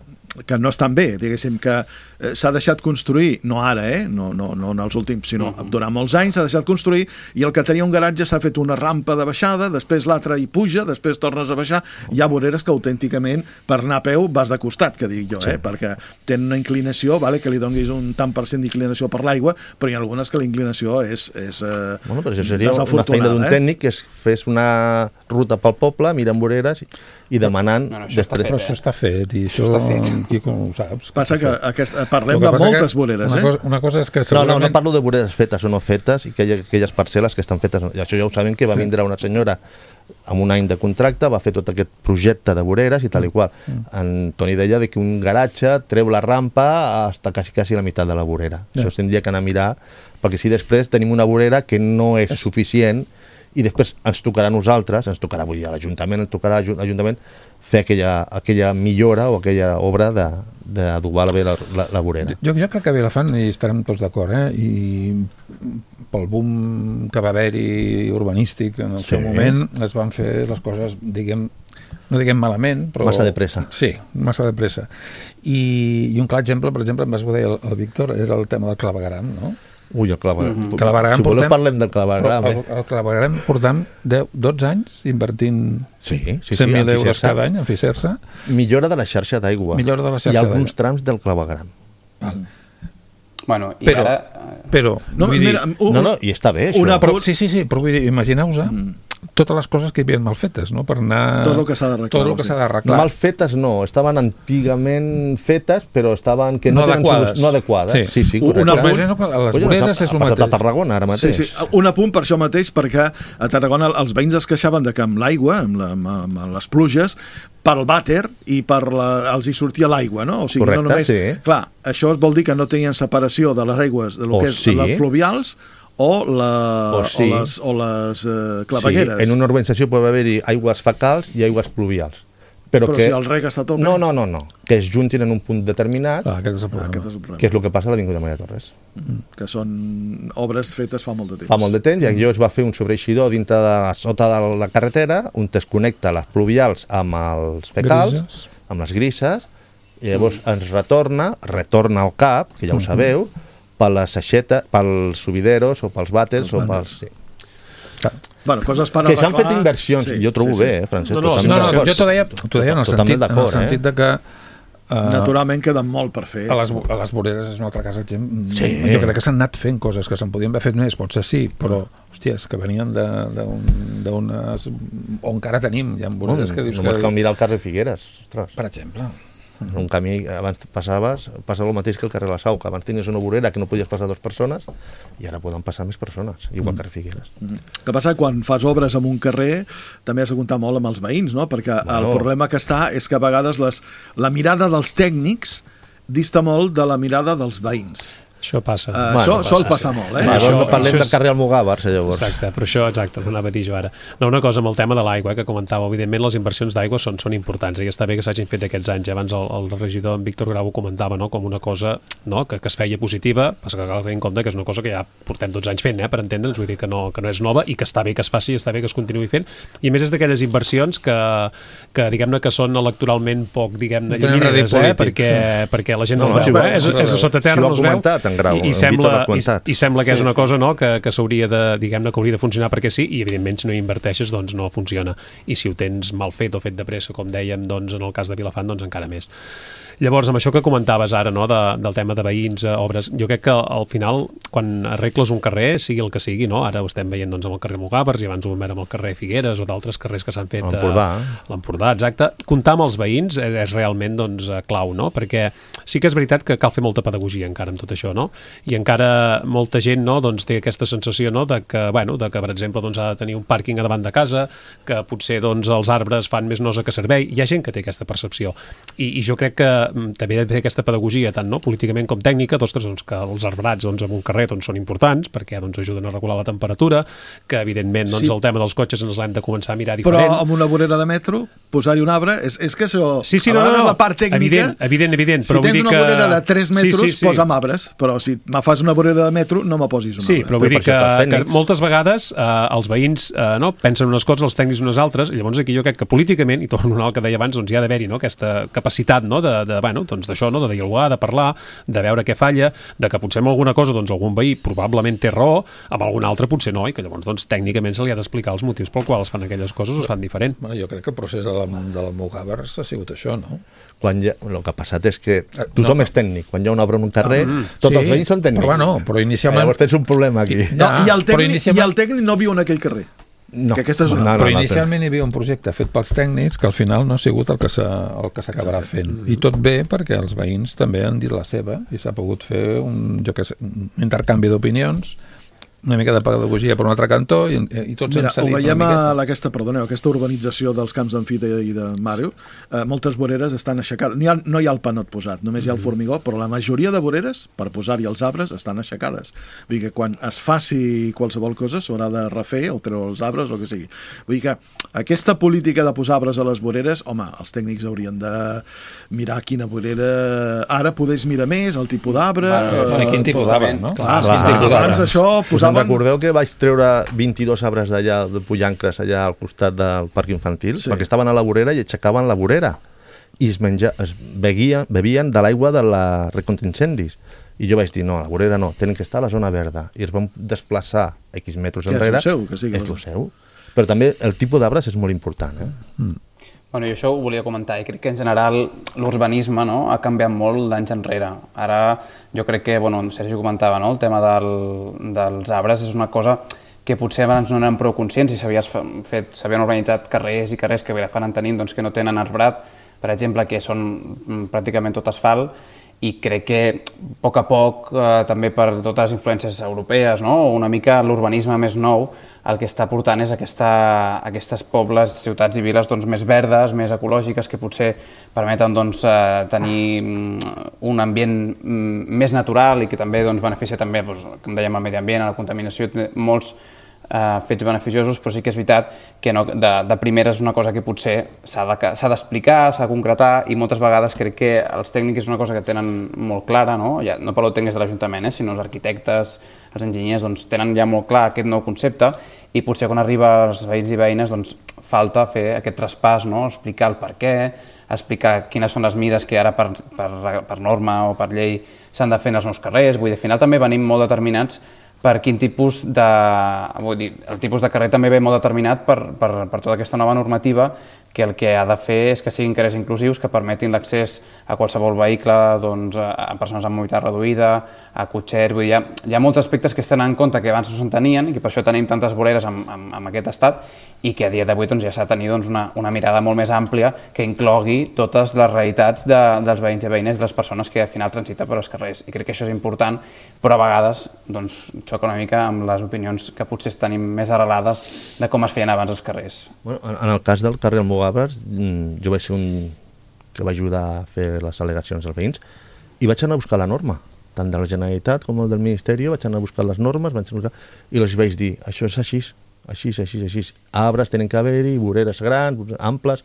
que no estan bé, diguéssim que eh, s'ha deixat construir, no ara, eh? no, no, no en els últims, sinó uh -huh. durant molts anys s'ha deixat construir i el que tenia un garatge s'ha fet una rampa de baixada, després l'altre hi puja, després tornes a baixar, hi ha voreres que autènticament per anar a peu vas de costat, que dic jo, sí. eh? perquè tenen una inclinació, vale, que li donguis un tant per cent d'inclinació per l'aigua, però hi ha algunes que la inclinació és, és eh, bueno, però això seria una feina d'un eh? tècnic que es fes una ruta pel poble, mirant voreres i, i demanant... No, no, això està fet, però això està fet, i això, això està fet. Quico, ho saps. Passa que aquest, parlem que de passa moltes que voreres, una eh? Cosa, una cosa és que No, segurament... no, no parlo de voreres fetes o no fetes i que hi ha aquelles parcel·les que estan fetes. I això ja ho sabem que va vindre una senyora amb un any de contracte, va fer tot aquest projecte de voreres i tal i qual. En Toni deia de que un garatge treu la rampa hasta quasi, quasi la meitat de la vorera. Ja. Això tindria que anar a mirar, perquè si després tenim una vorera que no és suficient i després ens tocarà a nosaltres, ens tocarà, vull dir, a l'Ajuntament, ens tocarà a l'Ajuntament fer aquella, aquella millora o aquella obra d'adobar bé la, la, la vorera. Jo, jo crec que a Vilafant hi estarem tots d'acord, eh? I pel boom que va haver-hi urbanístic en el Sí. seu moment es van fer les coses, diguem, no diguem malament, però... Massa de pressa. Sí, massa de pressa. I, i un clar exemple, per exemple, em vas dir el, el Víctor, era el tema del clavegueram, no? Ui, el claveguram. Mm -hmm. Claveguram Si voleu portem- parlem del claveguram. Però el, Eh? el claveguram portam deu, dotze anys invertint Sí, sí, sí. cent mil euros Ficersa. cada any en Ficersa. Millora de la xarxa d'aigua. Millora de la xarxa I alguns d'aigua. trams del claveguram. Val. Bueno, i Però, ara... però, No, vull mira, dir, un, No, no, i està bé, això. una però, sí, sí, sí, però vull dir, imagineu-vos Mm. totes les coses que hi havia mal fetes, no? Per anar... Tot el que s'ha d'arreglar, Tot el vols que dir. s'ha No, d'arreglar. mal fetes no, estaven antigament fetes, però estaven que no, No tenen adequades. solució- no adequades. Sí. Sí, sí, Un- correcte. una Però imagina que a les Oye, voreres ha- és el ha passat mateix. a Tarragona ara mateix. Sí, sí, un apunt per això mateix, perquè a Tarragona els veïns es queixaven de que amb l'aigua, amb, la, amb, amb les pluges, pel vàter i per la, els hi sortia l'aigua, no? O sigui, Correcte, no només... sí. Clar, això vol dir que no tenien separació de les aigües de lo O que és sí. les pluvials o, la, O sí. o les, o les eh, clavegueres. Sí, en una urbanització pot haver-hi aigües fecals i aigües pluvials. Però, Però que... si el reg està a tope... No, no, no, no. Que es juntin en un punt determinat, Ah, aquest és el Ah, problema. aquest és el problema. que és el que passa a l'Avinguda Maria Torres. Que són obres fetes fa molt de temps. Fa molt de temps, i allò es va fer un sobreeixidor dintre de sota de la carretera, on es connecta les pluvials amb els fecals, Grises. amb les grises, i llavors ens retorna, retorna al cap, que ja ho sabeu, per les aixetes, pels subideros o pels vàters. Els O vàters. pels, sí. Clar. Bueno, coses per Que s'han fet arreglar. inversions, Sí, i jo trobo sí, sí. bé, eh, Francesc, No, no, totalment No, no, d'acord. jo t'ho deia, t'ho deia en el Totalment sentit, en el d'acord, sentit eh? de que uh, Naturalment queda molt per fer. a les, a les voreres és un altre cas exemple. Sí. Jo crec que s'han anat fent coses que se'n podien haver fet més, potser sí, però hòsties, que venien de- d'un- d'unes on encara tenim, hi ha voreres que dius Només cal que... mirar el carrer Figueres, ostres. Per exemple. Un camí, abans passaves, passava el mateix que el carrer La Sau, que abans tenies una vorera que no podies passar dues persones i ara poden passar més persones, igual que a Figueres. El que passa que quan fas obres en un carrer també has de comptar molt amb els veïns, no? Perquè Bueno. el problema que està és que a vegades les, la mirada dels tècnics dista molt de la mirada dels veïns. Això passa. Uh, Bueno, això passa, sol sí. passar molt, eh? Va, això- no parlem això del és- carrer Almogàvers, llavors. Exacte, però això, exacte, ho anava a dir jo ara. No, una cosa amb el tema de l'aigua, eh, que comentava, evidentment les inversions d'aigua són, són importants i està bé que s'hagin fet aquests anys. Abans el, el regidor en Víctor Grau ho comentava, no?, com una cosa, no?, que, que es feia positiva, passa que cal tenir en compte que és una cosa que ja portem dotze anys fent, eh, per entendre'ns, vull dir que no, que no és nova i que està bé que es faci, està bé que es continuï fent, i a més és d'aquelles inversions que, que diguem-ne que són electoralment poc, diguem-ne, No tenen llunyanides, rèdit eh, polític, perquè, perquè la gent no, No, no el no, veu, sí, eh? és, sí, és a sota terra, sí, ho ha no es veu, comentat en Grau, i, i en sembla, Víctor l'ha i, comentat. i sembla que és una cosa, no?, que, que s'hauria de, diguem-ne, que hauria de funcionar perquè sí, i evidentment si no hi inverteixes doncs no funciona, i si ho tens mal fet o fet de pressa, com dèiem, doncs en el cas de Vilafant, doncs encara més. Llavors, amb això que comentaves ara, no?, de, del tema de veïns, eh, obres, jo crec que al final, quan arregles un carrer, sigui el que sigui, no?, ara ho estem veient doncs, amb el carrer Almogàvers i abans ho vam veure amb el carrer Figueres o d'altres carrers que s'han fet a L'Empordà. l'Empordà, exacte. Comptar amb els veïns és, és realment doncs, eh, clau, no?, perquè sí que és veritat que cal fer molta pedagogia encara amb tot això, no?, i encara molta gent, no?, doncs, té aquesta sensació, no?, de que, bueno, de que per exemple, doncs, ha de tenir un pàrquing a davant de casa, que potser doncs, els arbres fan més nosa que servei. Hi ha gent que té aquesta percepció. I, i jo crec que mm, també he de fer aquesta pedagogia, tant no, políticament com tècnica, d'ostres, doncs, que els arbrats doncs, en un carrer doncs, són importants, perquè doncs, ajuden a regular la temperatura, que evidentment doncs, Sí. el tema dels cotxes ens l'hem de començar a mirar Però diferent. amb una vorera de metro, posar-hi un arbre, és, és que això... Sí, sí, a no, no, vegades no. la part tècnica... Evident, evident, evident. Si però vull tens dir una que... vorera de tres metres, sí, sí, sí. posa'm arbres, però si me fas una vorera de metro, no me posis un Sí, arbre. però vull Però dir per que, això estàs que tècnics. moltes vegades eh, els veïns eh, no, pensen unes coses, els tècnics unes altres, i llavors aquí jo crec que políticament, i torno al que deia abans, doncs hi ha d'haver-hi no, aquesta capacitat no, de, de, bueno, doncs d'això, no, de dialogar, de parlar, de veure què falla, de que potser amb alguna cosa doncs, algun veí probablement té raó, amb algun altre potser no, i que llavors doncs, tècnicament se li ha d'explicar els motius pel qual es fan aquelles coses o es fan diferent. Bueno, jo crec que el procés de l'Almogàvers ha sigut això, no? Quan ja, el que ha passat és que Eh, tothom no. és tècnic. Quan hi ha una obra en un carrer, Ah, tots sí, els veïns són tècnics. però bueno, però inicialment- Llavors tens un problema aquí. No, Ja, i, el però tècnic, inicialment- I el tècnic no viu en aquell carrer. No. Que aquesta és una... No, no, Però no, inicialment hi havia un projecte fet pels tècnics que al final no ha sigut el que s'acabarà fent. I tot bé perquè els veïns també han dit la seva i s'ha pogut fer un, jo que sé, un intercanvi d'opinions, una mica de pedagogia per un altre cantó i, i tots Mira, hem cedit ho veiem una miqueta. a aquesta, perdoneu, aquesta urbanització dels camps d'Amfita i de Màriu, eh, moltes voreres estan aixecades. No hi, ha, no hi ha el panot posat, només hi ha el formigó, però la majoria de voreres, per posar-hi els arbres, estan aixecades. Vull dir que quan es faci qualsevol cosa s'haurà de refer o treure els arbres o el que sigui. Vull dir que aquesta política de posar arbres a les voreres, home, els tècnics haurien de mirar quina vorera... Ara podés mirar més, el tipus d'arbre... Bueno, quin tipus d'arbre, no? Clar, Clar, clar, clar. abans això Us posaven... en recordeu que vaig treure vint-i-dos arbres d'allà, de Pollancres, allà al costat del parc infantil? Sí. Perquè estaven a la vorera i aixecaven la vorera. I es, menja, es beguien, bevien de l'aigua de la recontra-incendis. I jo vaig dir, no, a la vorera no, tenen que estar a la zona verda. I es van desplaçar X metres Que és enrere. el seu, que sigui és la el seu. Però també el tipus d'arbres és molt important. Eh? Mm. Bueno, jo això ho volia comentar, i crec que en general l'urbanisme, no, ha canviat molt d'anys enrere. Ara jo crec que, bueno, Sergi comentava, no, el tema del, dels arbres és una cosa que potser abans no eren prou conscients i s'havien organitzat carrers i carrers que Vilafant en tenim doncs, que no tenen arbrat, per exemple, que són pràcticament tot asfalt, i crec que a poc a poc, eh, també per totes les influències europees, no? Una mica l'urbanisme més nou, el que està portant és aquesta, aquestes pobles, ciutats i viles doncs, més verdes, més ecològiques, que potser permeten doncs, eh, tenir un ambient més natural i que també doncs, beneficia també, doncs, com dèiem, el medi ambient, la contaminació, molts eh, fets beneficiosos, però sí que és veritat que no, de, de primera és una cosa que potser s'ha d'explicar, de, s'ha de concretar, i moltes vegades crec que els tècnics és una cosa que tenen molt clara, no, ja, no parlo de tècnics de l'Ajuntament, eh, sinó els arquitectes, els enginyers, doncs, tenen ja molt clar aquest nou concepte, i potser quan arriba als veïns i veïnes doncs, falta fer aquest traspàs, no, explicar el per què, explicar quines són les mides que ara per, per, per norma o per llei s'han de fer en els nous carrers. Vull dir, al final també venim molt determinats per quin tipus de... Vull dir, el tipus de carrer també ve molt determinat per, per, per tota aquesta nova normativa, que el que ha de fer és que siguin carrers inclusius que permetin l'accés a qualsevol vehicle, doncs, a persones amb mobilitat reduïda, a cotxers. Vull dir, hi ha, hi ha molts aspectes que es tenen en compte que abans no se'n tenien i que per això tenim tantes voreres en, en, en aquest estat, i que a dia d'avui doncs, ja s'ha de tenir doncs, una, una mirada molt més àmplia que inclogui totes les realitats de, dels veïns i veïnes, de les persones que al final transiten per als carrers. I crec que això és important, però a vegades doncs, xoca una mica amb les opinions que potser tenim més arrelades de com es feien abans els carrers. Bueno, en el cas del carrer Almogàvers, jo vaig ser un que va ajudar a fer les al·legacions dels veïns i vaig anar a buscar la norma, tant de la Generalitat com del Ministeri, vaig anar a buscar les normes, vaig anar a buscar, i els vaig dir, això és així, així, així, així, arbres tenen que haver-hi, voreres grans, amples,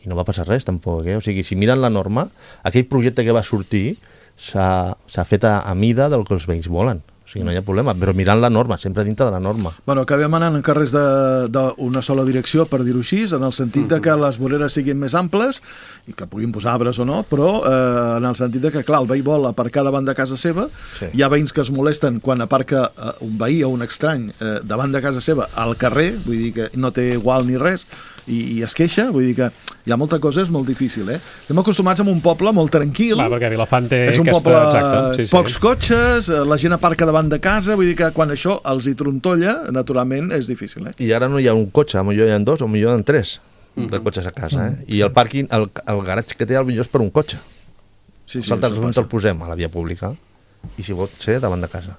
i no va passar res tampoc, eh? O sigui, si miren la norma, aquell projecte que va sortir s'ha fet a, a mida del que els veïns volen. O sigui, no hi ha problema, però mirant la norma, sempre dintre de la norma. Bueno, acabem anant en carrers d'una sola direcció, per dir-ho així, en el sentit de que les voreres siguin més amples i que puguin posar arbres o no, però eh, en el sentit de que, clar, el veí vol aparcar davant de casa seva, sí. Hi ha veïns que es molesten quan aparca eh, un veí o un estrany eh, davant de casa seva al carrer, vull dir que no té igual ni res, i, i es queixa, vull dir que hi ha molta cosa, és molt difícil, eh? Estem acostumats a un poble molt tranquil. Clar, perquè Vilafant té és un aquesta... poble, Exacte, sí, sí. Pocs cotxes, la gent aparca davant de casa, vull dir que quan això els hi trontolla, naturalment és difícil, eh? I ara no hi ha un cotxe, potser hi ha dos o potser hi ha tres de cotxes a casa, eh? I el pàrquing, el, el garatge que té potser és per un cotxe. Sí, sí, Saltes on passa. te'l posem a la via pública i si pot ser davant de casa.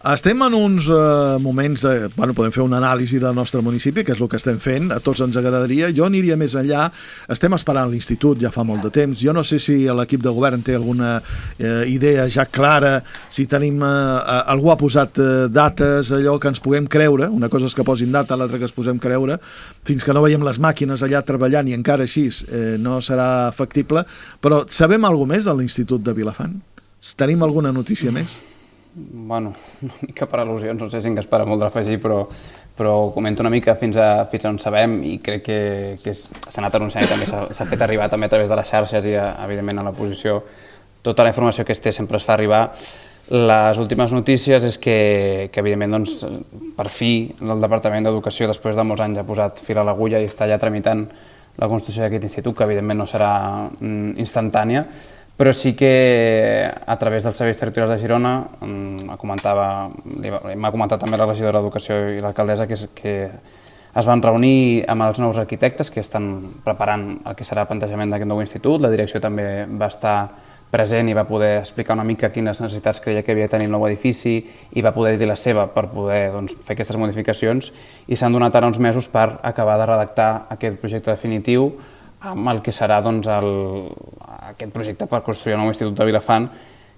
Estem en uns eh, moments de... Bueno, podem fer una anàlisi del nostre municipi, que és el que estem fent, a tots ens agradaria. Jo aniria més enllà. Estem esperant l'institut ja fa molt de temps. Jo no sé si l'equip de govern té alguna eh, idea ja clara, si tenim... Eh, algú ha posat eh, dates, allò que ens puguem creure. Una cosa és que posin data, l'altra que es posem creure. Fins que no veiem les màquines allà treballant i encara així eh, no serà factible. Però sabem alguna més de l'Institut de Vilafant? Tenim alguna notícia més? Bueno, una mica per al·lusions, no sé si en Gaspar molt d'afegir, però, però comento una mica fins a, fins a on sabem, i crec que, que s'ha anat anunciant i també s'ha fet arribar també a través de les xarxes i, evidentment, a l'oposició. Tota la informació que es té sempre es fa arribar. Les últimes notícies és que, que evidentment, doncs, per fi, el Departament d'Educació, després de molts anys, ha posat fil a l'agulla i està ja tramitant la construcció d'aquest institut, que evidentment no serà instantània, però sí que a través dels serveis territorials de Girona m'ha comentat també la regidora d'Educació i l'alcaldessa que, que es van reunir amb els nous arquitectes que estan preparant el que serà el plantejament d'aquest nou institut. La direcció també va estar present i va poder explicar una mica quines necessitats creia que havia de tenir el nou edifici i va poder dir la seva per poder doncs, fer aquestes modificacions, i s'han donat ara uns mesos per acabar de redactar aquest projecte definitiu amb el que serà doncs, el, aquest projecte per construir el nou Institut de Vilafant,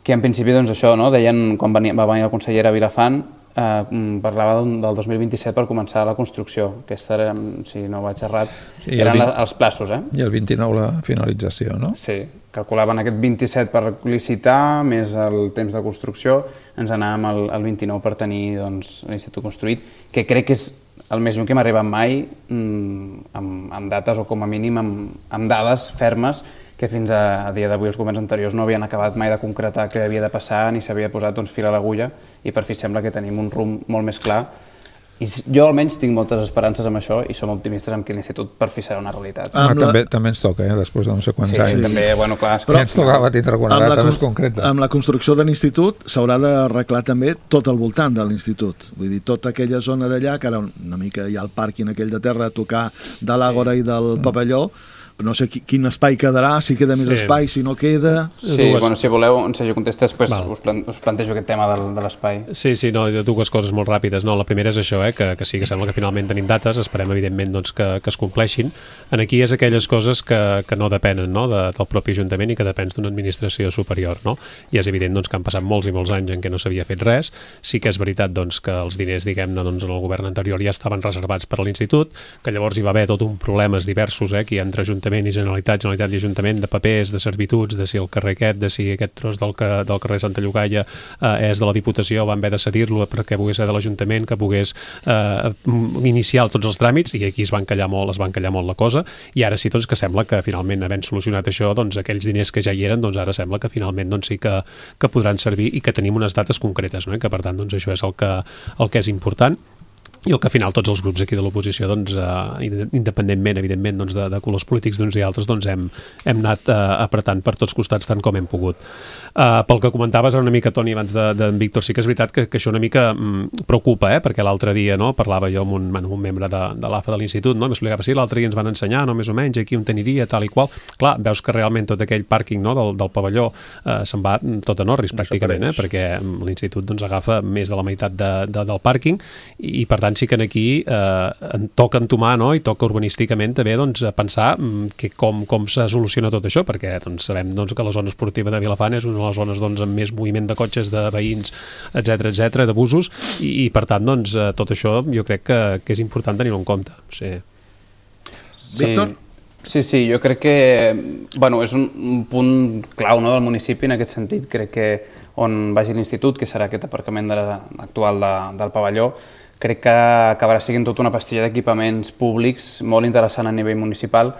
que en principi doncs, això, no? Deien, quan venia, va venir la consellera a Vilafant, eh, parlava del dos mil vint-i-set per començar la construcció. Aquesta era, si no vaig errat, sí, eren el vint... els plaços. Eh? I el vint-i-nou la finalització, no? Sí, calculaven aquest vint-i-set per licitar, més el temps de construcció, ens anàvem al, al vint-i-nou per tenir doncs, l'institut construït, que crec que és el més lluny que hem arribat mai mmm, amb, amb dates o com a mínim amb, amb dades fermes que fins a, a dia d'avui els governs anteriors no havien acabat mai de concretar què havia de passar ni s'havia posat doncs, fil a l'agulla, i per fi sembla que tenim un rumb molt més clar. I jo almenys tinc moltes esperances amb això i som optimistes amb que l'institut per fi serà una realitat. Ah, també, també ens toca, eh? Després de no sé quants sí, anys. Sí, també, bueno, clar. Però ja ens tocava tindre alguna data més concreta. Amb la construcció de l'institut s'haurà d'arreglar també tot al voltant de l'institut. Vull dir, tota aquella zona d'allà, que ara una mica hi ha el pàrquing aquell de terra a tocar de l'Àgora sí. i del pavelló, no sé quin espai quedarà, si queda més sí. espai, si no queda... Sí, bueno, si voleu, en Sergi contesta, després us, plan, us plantejo aquest tema del, de l'espai. Sí, sí, no, dues coses molt ràpides. No, la primera és això, eh, que, que sí, que sembla que finalment tenim dates, esperem evidentment doncs, que, que es compleixin. En aquí és aquelles coses que, que no depenen no, de, del propi Ajuntament i que depèn d'una administració superior. No? I és evident doncs, que han passat molts i molts anys en què no s'havia fet res. Sí que és veritat doncs, que els diners, diguem-ne, doncs, en el govern anterior ja estaven reservats per a l'institut, que llavors hi va haver tot un problemes diversos eh, aquí entre Ajuntament i Generalitat, Generalitat i Ajuntament, de papers, de servituds, de si el carrer aquest, de si aquest tros del, que, del carrer Santa Llogaia eh, és de la Diputació, van haver de cedir-lo perquè pogués ser de l'Ajuntament, que pogués eh, iniciar tots els tràmits, i aquí es van callar molt, es van callar molt la cosa, i ara sí doncs, que sembla que finalment havent solucionat això, doncs aquells diners que ja hi eren, doncs ara sembla que finalment doncs, sí que, que podran servir i que tenim unes dates concretes, no? I que per tant doncs, això és el que, el que és important. I el que al final tots els grups aquí de l'oposició, doncs, eh, independentment, evidentment, doncs, de, de colors polítics d'uns i altres, doncs, hem, hem anat eh, apretant per tots costats tant com hem pogut. Uh, pel que comentaves una mica, Toni, abans d'en de, de Víctor, sí que és veritat que, que això una mica mm, preocupa, eh? Perquè l'altre dia no, parlava jo amb un, un membre de, de l'A F A de l'institut, no? M'explicava, sí, l'altre dia ens van ensenyar, no, més o menys, aquí on teniria, tal i qual. Clar, veus que realment tot aquell pàrquing no, del, del pavelló eh, se'n va tot en orris, pràcticament, eh? Perquè l'institut doncs, agafa més de la meitat de, de, del pàrquing i, i per tant sí que aquí eh, en toca entomar no? I toca urbanísticament també doncs, pensar que com, com se soluciona tot això, perquè doncs, sabem doncs, que la zona esportiva de Vilafant és una de les zones doncs, amb més moviment de cotxes, de veïns, etcètera, etcètera, de busos, i, i per tant doncs, tot això jo crec que, que és important tenir-ho en compte. Sí. Víctor? Sí, sí, jo crec que bueno, és un, un punt clau no, del municipi en aquest sentit. Crec que on vagi l'institut, que serà aquest aparcament de la, actual de, del pavelló, crec que acabarà sent tota una pastilla d'equipaments públics molt interessant a nivell municipal.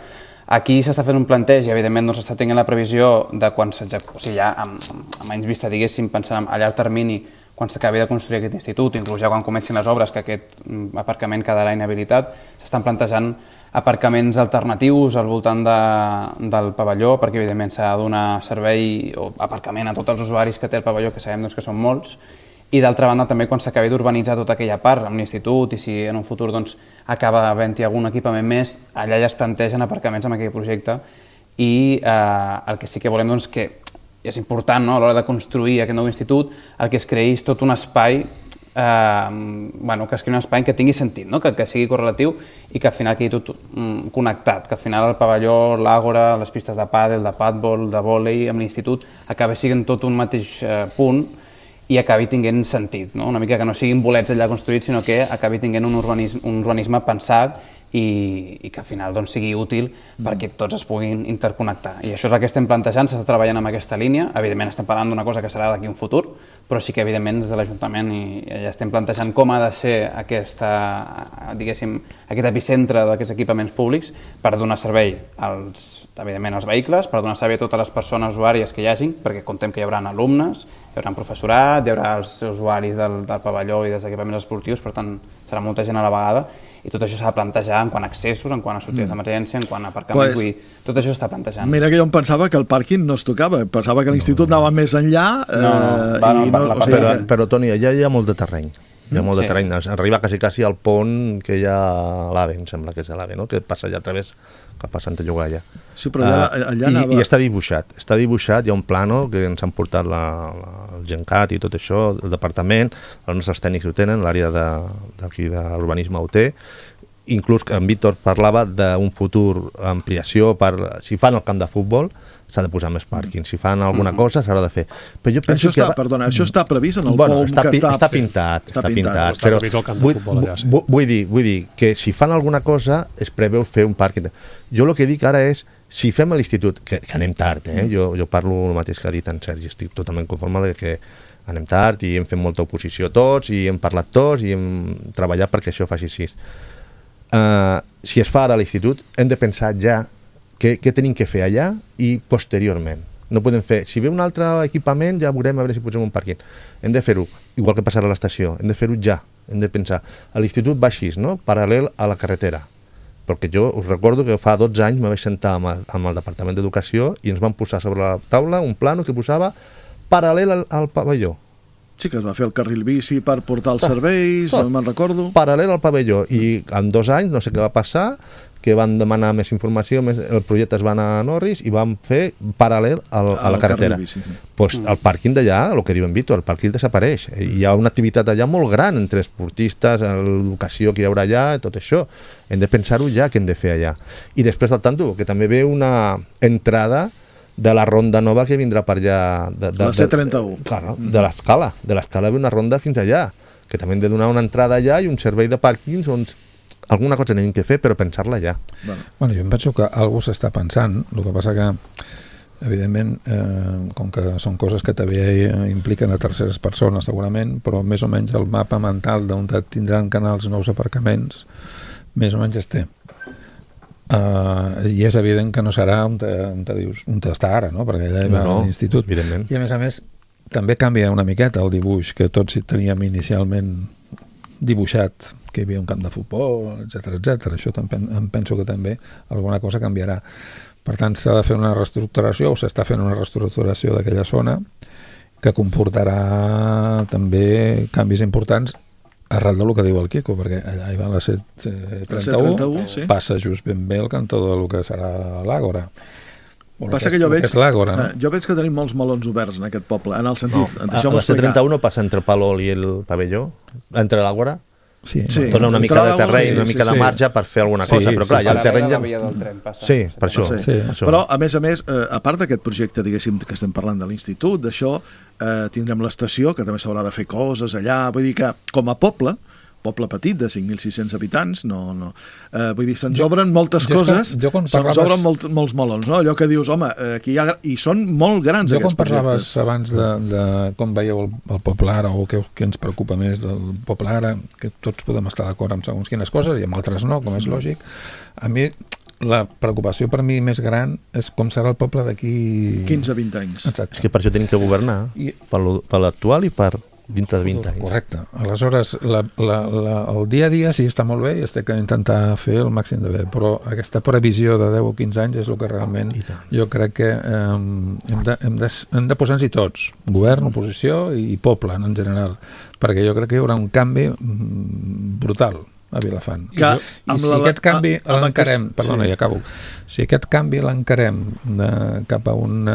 Aquí s'està fent un planteig i, evidentment, no s'està tenint la previsió de quan s'executi, o sigui, ja amb, amb anys vista, diguéssim, pensant a llarg termini, quan s'acabi de construir aquest institut, inclús ja quan comencin les obres, que aquest aparcament quedarà inhabilitat, s'estan plantejant aparcaments alternatius al voltant de, del pavelló, perquè, evidentment, s'ha de donar servei o aparcament a tots els usuaris que té el pavelló, que sabem doncs, que són molts. I d'altra banda també quan s'acabi d'urbanitzar tota aquella part amb l'institut i si en un futur doncs, acaba havent-hi algun equipament més, allà ja es plantegen aparcaments amb aquell projecte i eh, el que sí que volem doncs, que és important no, a l'hora de construir aquest nou institut, el que es creï és tot un espai eh, bueno, que es creï un espai que tingui sentit, no? que, que sigui correlatiu i que al final quedi tot mm, connectat, que al final el pavelló, l'àgora, les pistes de pàdel, de padbol, de vòlei amb l'institut acabi sent tot un mateix eh, punt i acabi tinguent sentit, no? Una mica que no siguin bolets allà construïts, sinó que acabi tinguent un urbanisme, un urbanisme pensat i, i que al final doncs, sigui útil perquè tots es puguin interconnectar. I això és el que estem plantejant, s'està treballant amb aquesta línia. Evidentment estem parlant d'una cosa que serà d'aquí un futur, però sí que evidentment des de l'Ajuntament ja estem plantejant com ha de ser aquesta, diguéssim, aquest epicentre d'aquests equipaments públics per donar servei als, evidentment, als vehicles, per donar servei a totes les persones usuàries que hi hagin, perquè contem que hi haurà alumnes, hi haurà professorat, hi haurà els usuaris del, del pavelló i dels equipaments esportius, per tant serà molta gent a la vegada, i tot això s'ha de plantejar en quant a accessos, en quant a sortides mm. d'emergència, en quant a aparcaments, pues, tot això s'està plantejant. Mira que jo em pensava que el pàrquing no es tocava, pensava que l'institut no, no. anava més enllà. Eh, no, no, va, no, i no, no o sigui, però, però, Toni, allà hi ha molt de terreny. Hi ha molt sí. de terreny. Arriba quasi, quasi al pont que hi ha a l'AVE, em sembla que és de l'AVE, no? Que passa allà a través cap a Santa Llogaia. Sí, però allà, allà uh, anava... I, I està dibuixat, està dibuixat, hi ha un plano que ens han portat la, la, el Gencat i tot això, el departament, els nostres tècnics ho tenen, l'àrea d'aquí de, d'urbanisme ho té, inclús en Víctor parlava d'un futur ampliació per, si fan el camp de futbol, s'ha de posar més pàrquing. Si fan alguna mm-hmm. cosa, s'haurà de fer. Però jo penso això està, que... Perdona, això està previst en el bueno, POM està, que està... està pintat, sí, està, està pintat. Està previst el camp de futbol allà, sí. Vull, vull, dir, vull dir que si fan alguna cosa es preveu fer un pàrquing. Jo el que dic ara és, si fem a l'institut, que, que anem tard, eh? jo, jo parlo el mateix que ha dit en Sergi, estic totalment conforme que anem tard i hem fet molta oposició tots i hem parlat tots i hem treballat perquè això faci així. Uh, si es fa ara a l'institut, hem de pensar ja què, què tenim que fer allà i posteriorment. No podem fer, si ve un altre equipament ja veurem a veure si posem un pàrquing. Hem de fer-ho, igual que passarà a l'estació, hem de fer-ho ja, hem de pensar. A l'institut va així, no? Paral·lel a la carretera. Perquè jo us recordo que fa dotze anys me vaig sentar amb el, amb el Departament d'Educació i ens van posar sobre la taula un plano que posava paral·lel al, al pavelló. Sí, que es va fer el carril bici per portar els serveis, no me'n recordo. Paral·lel al pavelló, i en dos anys, no sé què va passar, que van demanar més informació, més, el projecte es va anar a Norris i van fer paral·lel al, a la carretera. Doncs pues, el pàrquing d'allà, el que diuen Víctor, el pàrquing desapareix. Hi ha una activitat allà molt gran entre esportistes, l'educació que hi haurà allà, tot això. Hem de pensar-ho ja, què hem de fer allà. I després del tanto, que també ve una entrada de la ronda nova que vindrà per allà... De, de, la C trenta-u. De, clar, de l'escala. De l'escala ve una ronda fins allà, que també hem de donar una entrada allà i un servei de pàrquings on alguna cosa tenim que fer, però pensar-la ja. Bueno. bueno, jo em penso que algú s'està pensant, el que passa que, evidentment, eh, com que són coses que també impliquen a terceres persones, segurament, però més o menys el mapa mental d'on tindran canals nous aparcaments, més o menys es té. Uh, i és evident que no serà on, te, on, te dius, on està ara, no? Perquè allà hi va no, no, l'institut. Evidentment. I a més a més també canvia una miqueta el dibuix que tots teníem inicialment dibuixat, que hi havia un camp de futbol, etcètera, etcètera. Això també, em penso que també alguna cosa canviarà. Per tant, s'ha de fer una reestructuració o s'està fent una reestructuració d'aquella zona que comportarà també canvis importants arrel del que diu el Quico, perquè allà hi va la C trenta-u, sí. Passa just ben bé el cantó del que serà l'Àgora. Passa que, que jo veig, que l'Àgora, no? jo veig que tenim molts melons oberts en aquest poble, en el sentit... No, a, la C trenta-u no passa entre Palol i el pavelló? Entre l'Àgora? Sí, sí, dona una mica de terreny, sí, una mica sí, de marge per fer alguna sí, cosa, però clar, sí, ja el terreny ja... Passa, sí, per això. Sí. Sí. això. Però, a més a més, eh, a part d'aquest projecte, diguéssim, que estem parlant de l'institut, d'això, eh, tindrem l'estació, que també s'haurà de fer coses allà, vull dir que, com a poble, poble petit de cinc mil sis-cents habitants, no, no. Eh, vull dir, se'ns obren moltes jo, coses, jo se'ns parlaves... obren molt, molts melons, no? Allò que dius, home, aquí hi ha... I són molt grans jo aquests projectes. Jo quan parlaves abans de, de com veieu el, el poble ara, o què, què ens preocupa més del poble ara, que tots podem estar d'acord amb segons quines coses, i amb altres no, com és lògic, a mi la preocupació per mi més gran és com serà el poble d'aquí... quinze a vint anys. Exacte. És que per això tenim que governar, I... per l'actual i per... dintre de vint anys. Correcte. Aleshores, la, la, la, el dia a dia sí està molt bé i es té que intentar fer el màxim de bé, però aquesta previsió de deu o quinze anys és el que realment jo crec que eh, hem, de, hem, de, hem de posar-nos-hi tots, govern, oposició i poble en general, perquè jo crec que hi haurà un canvi brutal a Vilafant. Que, I, jo, i si la, aquest canvi a, a l'encarem, aquest, perdona, sí. ja acabo, si aquest canvi l'encarem cap a un...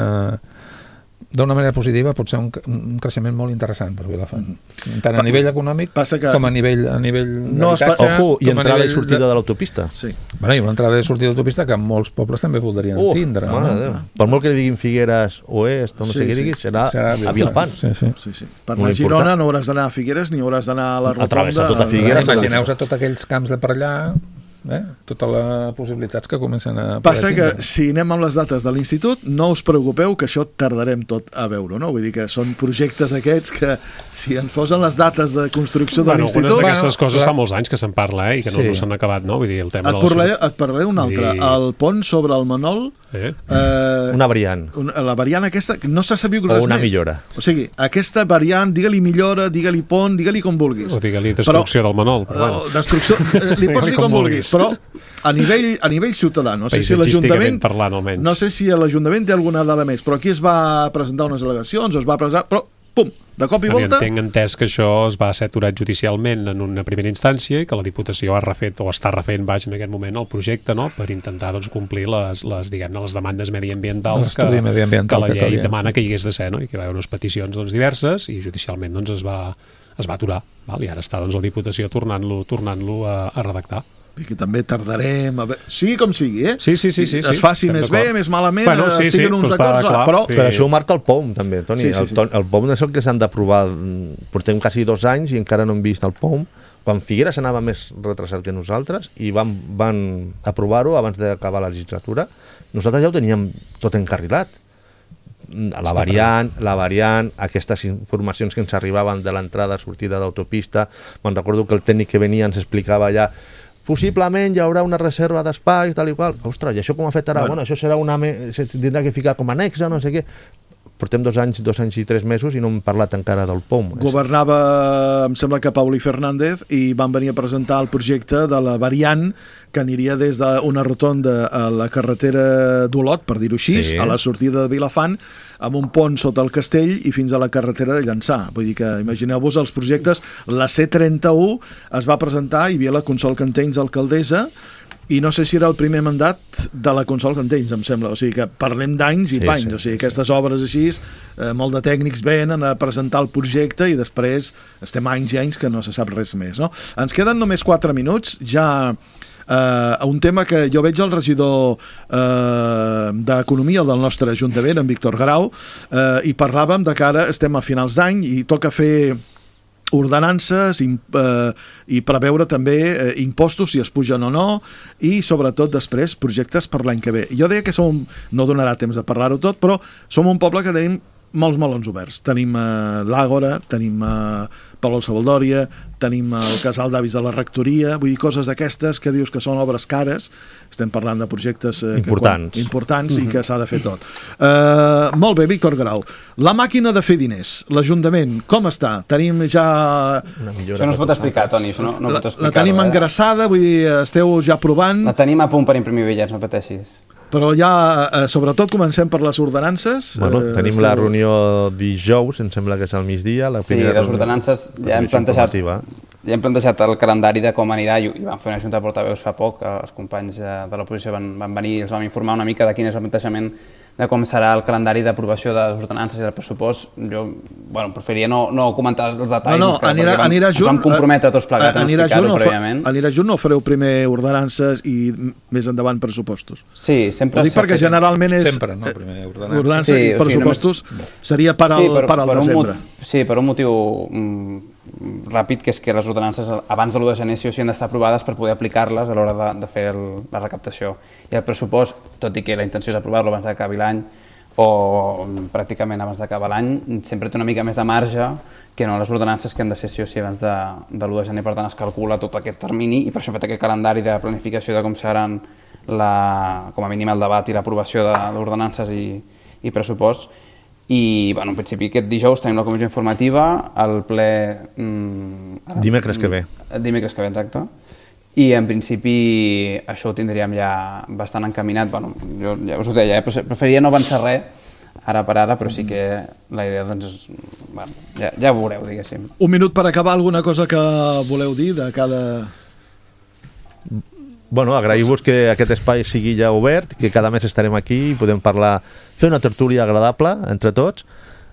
d'una manera positiva pot ser un, un creixement molt interessant per Vilafant, tant a nivell econòmic que... com a nivell, a nivell no d'habitatge. Ojo, i entrada i sortida de, de l'autopista. Sí. Bueno, i una entrada i sortida d'autopista que molts pobles també voldrien uh, tindre. No? No? Per molt que li diguin Figueres Oest, o no sí, sé què sí. diguis, serà, serà a Vilafant. Sí, sí. Sí, sí. Per anar a Girona no hauràs d'anar a Figueres ni hauràs d'anar a la Rotonda. A travessar tota Figueres. Imagineu-vos tots aquells camps de per allà eh? Totes les possibilitats que comencen a... Passa que si anem amb les dates de l'institut, no us preocupeu que això tardarem tot a veure, no? Vull dir que són projectes aquests que si ens posen les dates de construcció de bueno, l'institut... Algunes d'aquestes bueno, coses clar. fa molts anys que se'n parla, eh? I que no, Sí. no s'han acabat, no? Vull dir, el tema Et de la... parlaré, et parlaré un altre. I- El pont sobre el Manol... Eh? Eh, Una variant. una, la variant aquesta, que no s'ha sabut O res una més. millora. O sigui, aquesta variant, digue-li millora, digue-li pont, digue-li com vulguis. O digue-li destrucció del Manol. Però, Però, bueno. destrucció, eh, li pots dir com, Com vulguis, vulguis. però a nivell, a nivell ciutadà, no sé si Paisatgísticament l'Ajuntament parlant, almenys. no sé si l'Ajuntament té alguna dada més, però aquí es va presentar unes al·legacions, es va presentar, però pum, de cop i Jo volta... entenc entès que això es va ser aturat judicialment en una primera instància i que la Diputació ha refet o està refent baix en aquest moment el projecte, no?, per intentar doncs, complir les, les, diguem-ne, les demandes mediambientals que, L'estudi mediambiental que la que llei calia, demana sí. que hi hagués de ser, no?, i que hi va haver unes peticions doncs, diverses i judicialment doncs, es, va, es va aturar, val? I ara està doncs, la Diputació tornant-lo tornant-lo a, a redactar. I que també tardarem a veure... Sigui com sigui, eh? Sí, sí, sí, sí, Es sí, faci estem més bé, d'acord. més malament, Bueno, sí, estiguen sí, uns però està acords, clar, però... sí. Però això ho marca el P O M, també, Toni. Sí, sí, el, sí. ton- el P O M és el que s'han d'aprovar. Portem quasi dos anys i encara no hem vist el P O M. Quan Figueres anava més retrasat que nosaltres i van, van aprovar-ho abans d'acabar la legislatura, nosaltres ja ho teníem tot encarrilat. La variant, la variant, aquestes informacions que ens arribaven de l'entrada, sortida d'autopista, me'n recordo que el tècnic que venia ens explicava ja possiblement hi haurà una reserva d'espais, tal i qual. Ostres, i això com afectarà? Bueno, bueno això serà una... Me... se tindrà que ficar com a anexa, no sé què. Portem dos anys, dos anys i tres mesos i no hem parlat encara del P O M. Governava, em sembla que Pauli Fernández, i van venir a presentar el projecte de la variant que aniria des d'una rotonda a la carretera d'Olot, per dir-ho així, Sí. a la sortida de Vilafant, amb un pont sota el castell i fins a la carretera de Llançà. Vull dir que imagineu-vos els projectes. La C trenta-u es va presentar, hi havia la Consol Cantells alcaldessa, i no sé si era el primer mandat de la Consol Cantells, em sembla. O sigui que parlem d'anys i Sí, panys. sí, o sigui, sí, aquestes obres així, eh, molt de tècnics venen a presentar el projecte i després estem anys i anys que no se sap res més, no? Ens queden només quatre minuts, ja eh, un tema que jo veig el regidor eh, d'Economia del nostre Ajuntament, en Víctor Grau, eh, i parlàvem de que ara estem a finals d'any i toca fer ordenances i, eh, i preveure també eh, impostos si es pugen o no i sobretot després projectes per l'any que ve. Jo deia que som, no donarà temps de parlar-ho tot, però som un poble que tenim molts melons oberts. Tenim eh, l'Àgora, tenim eh, Palau Savaldòria, tenim el casal d'avis de la rectoria, vull dir, coses d'aquestes que dius que són obres cares, estem parlant de projectes eh, Importants. Que, quan, importants i que s'ha de fer tot. Uh, molt bé, Víctor Grau. La màquina de fer diners, l'Ajuntament, com està? Tenim ja... Una millora Això no es pot per explicar, Toni, això no, no La, pots la explicar. tenim engraçada, vull dir, esteu ja provant, La tenim a punt per imprimir bitllets, no pateixis. però ja, eh, sobretot, comencem per les ordenances. Bueno, Eh, tenim esteu- la reunió dijous, em sembla que és al migdia. La Sí, primera les reunió- ordenances ja hem, reunió plantejat, informativa. ja hem plantejat el calendari de com anirà i, i vam fer una junta de portaveus fa poc, els companys de, de l'oposició van, van venir i els vam informar una mica de quin és el plantejament de com serà el calendari d'aprovació de les ordenances i del pressupost. Jo bueno, preferiria no, no comentar els detalls. No, no, que- anirà, perquè vam, anirà ens junt... vam comprometre tots plegats a no anirà explicar-ho junt, o fa- prèviament. Anirà junt o fareu primer ordenances i m- més endavant pressupostos? Sí, sempre... Ho dic s'ha perquè fet- generalment és... Sempre, no? Primer ordenances. Ordenances Sí, i o sigui, pressupostos seria per al, Sí, per, per al per un desembre. mot- Sí, per un motiu mm, ràpid, que és que les ordenances abans de l'u de gener sí o sí han d'estar aprovades per poder aplicar-les a l'hora de, de fer el, la recaptació. I el pressupost, tot i que la intenció és aprovar-lo abans d'acabi l'any o mm, pràcticament abans d'acabar l'any, sempre té una mica més de marge que no les ordenances que han de ser sí o sí abans de, de l'u de gener. Per tant, es calcula tot aquest termini i per això hem fet aquest calendari de planificació de com seran la, com a mínim el debat i l'aprovació de l'ordenances i, i pressupost. I, bueno, en principi, aquest dijous tenim la comissió informativa, el ple... Mm, Dimecres que ve. Dimecres que ve, exacte. I, en principi, això ho tindríem ja bastant encaminat. Bueno, jo ja us ho deia, eh? Preferiria no avançar res ara per ara, però sí que la idea, doncs, és... Bueno, ja, ja ho veureu, diguéssim. Un minut per acabar, alguna cosa que voleu dir de cada... Bueno, agrair-vos que aquest espai sigui ja obert, que cada mes estarem aquí i podem parlar, fer una tertúlia agradable entre tots.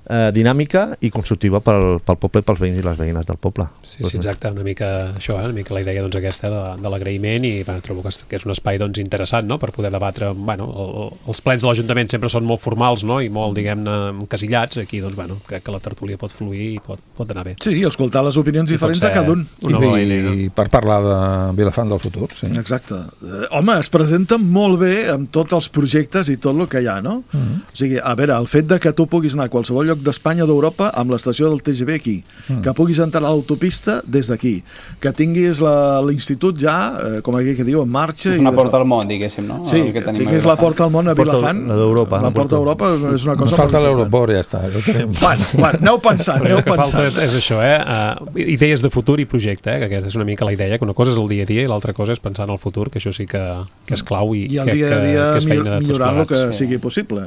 eh, dinàmica i constructiva pel, pel poble i pels veïns i les veïnes del poble. Sí, sí, exacte, una mica això, eh? Una mica la idea doncs, aquesta de, de l'agraïment i bueno, trobo que és un espai doncs, interessant, no?, per poder debatre. Bueno, el, els plens de l'Ajuntament sempre són molt formals, no?, i molt, diguem-ne, encasillats. Aquí, doncs, bueno, crec que la tertúlia pot fluir i pot, pot anar bé. Sí, escoltar les opinions I diferents de cada un. I, i, no? I per parlar de Vilafant del futur, sí. Exacte. Eh, home, es presenta molt bé amb tots els projectes i tot el que hi ha, no? Uh -huh. O sigui, a veure, el fet de que tu puguis anar a qualsevol lloc d'Espanya o d'Europa amb l'estació del T G V aquí, uh -huh. que puguis entrar a l'autopista des d'aquí, que tinguis l'institut ja, eh, com aquí que diu, en marxa. És una i porta al món, diguéssim, no? Sí, que tinguis la porta al món a Vilafant. La d'Europa. La porta d'Europa és una cosa... Ens falta l'aeroport, ja està. Ja tenim. Bueno, bueno, aneu pensant, aneu el que pensant. falta és això, eh? Uh, idees de futur i projecte, eh? Que aquesta és una mica la idea, que una cosa és el dia a dia i l'altra cosa és pensar en el futur, que això sí que, que és clau i, I el crec dia a dia que, que és feina de millorant el que sí. sigui possible.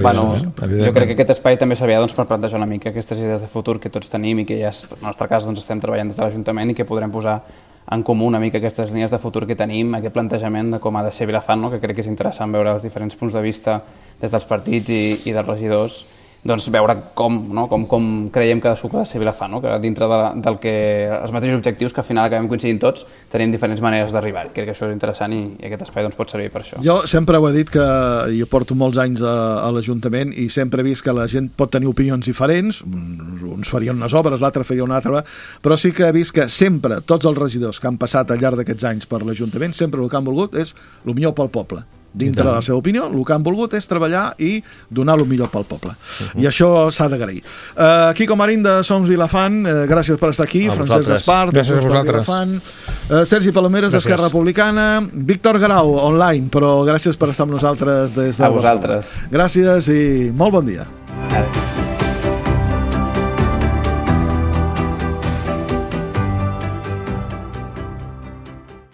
Bueno, jo crec que aquest espai també servia doncs, per plantejar una mica aquestes idees de futur que tots tenim i que ja, en el nostre cas, doncs, estem treballant des de l'Ajuntament i que podrem posar en comú una mica aquestes línies de futur que tenim, aquest plantejament de com ha de ser Vilafant, no? Que crec que és interessant veure els diferents punts de vista des dels partits i, i dels regidors, doncs veure com, no? com, com creiem que cadascú ha de ser Vilafant, no? Que dintre de, del que els mateixos objectius que al final acabem coincidint tots, tenim diferents maneres d'arribar. Crec que això és interessant i, i aquest espai doncs, pot servir per això. Jo sempre ho he dit que jo porto molts anys a, a l'Ajuntament i sempre he vist que la gent pot tenir opinions diferents, uns, uns farien unes obres, l'altre faria una altra, però sí que he vist que sempre tots els regidors que han passat al llarg d'aquests anys per l'Ajuntament, sempre el que han volgut és el millor pel poble. Dintre de la seva opinió, el que han volgut és treballar i donar el millor pel poble. Uh-huh. I això s'ha d'agrair. Uh, Quico Marín, de Som Vilafant, uh, gràcies per estar aquí. A Francesc Gaspar, de gràcies a vosaltres. Vilafant. Uh, Sergi Palomeres, d'Esquerra Republicana. Víctor Grau, online, però gràcies per estar amb nosaltres des de A vosaltres. Gràcies i molt bon dia. Adéu.